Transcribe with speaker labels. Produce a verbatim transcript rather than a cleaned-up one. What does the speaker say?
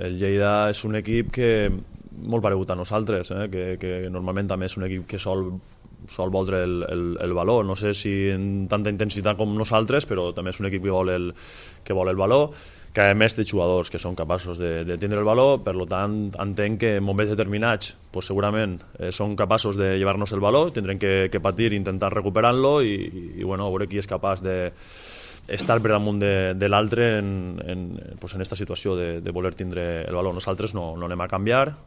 Speaker 1: el Lleida és un equip que molt paregut a nosaltres, eh? que, que normalment també és un equip que sol, sol voldre el, el, el valor, no sé si en tanta intensitat com nosaltres, però també és un equip que vol el, que vol el valor, que a més té jugadors que són capaços de, de tindre el valor, per tant entenc que en moments determinats pues segurament eh, són capaços de llevar-nos el valor, tindrem que, que patir i intentar recuperar-lo i, i, i bueno, veure qui és capaç de estar per damunt de, de l'altre en, en, pues en esta situació de, de voler tindre el valor. Nosaltres no, no anem a canviar,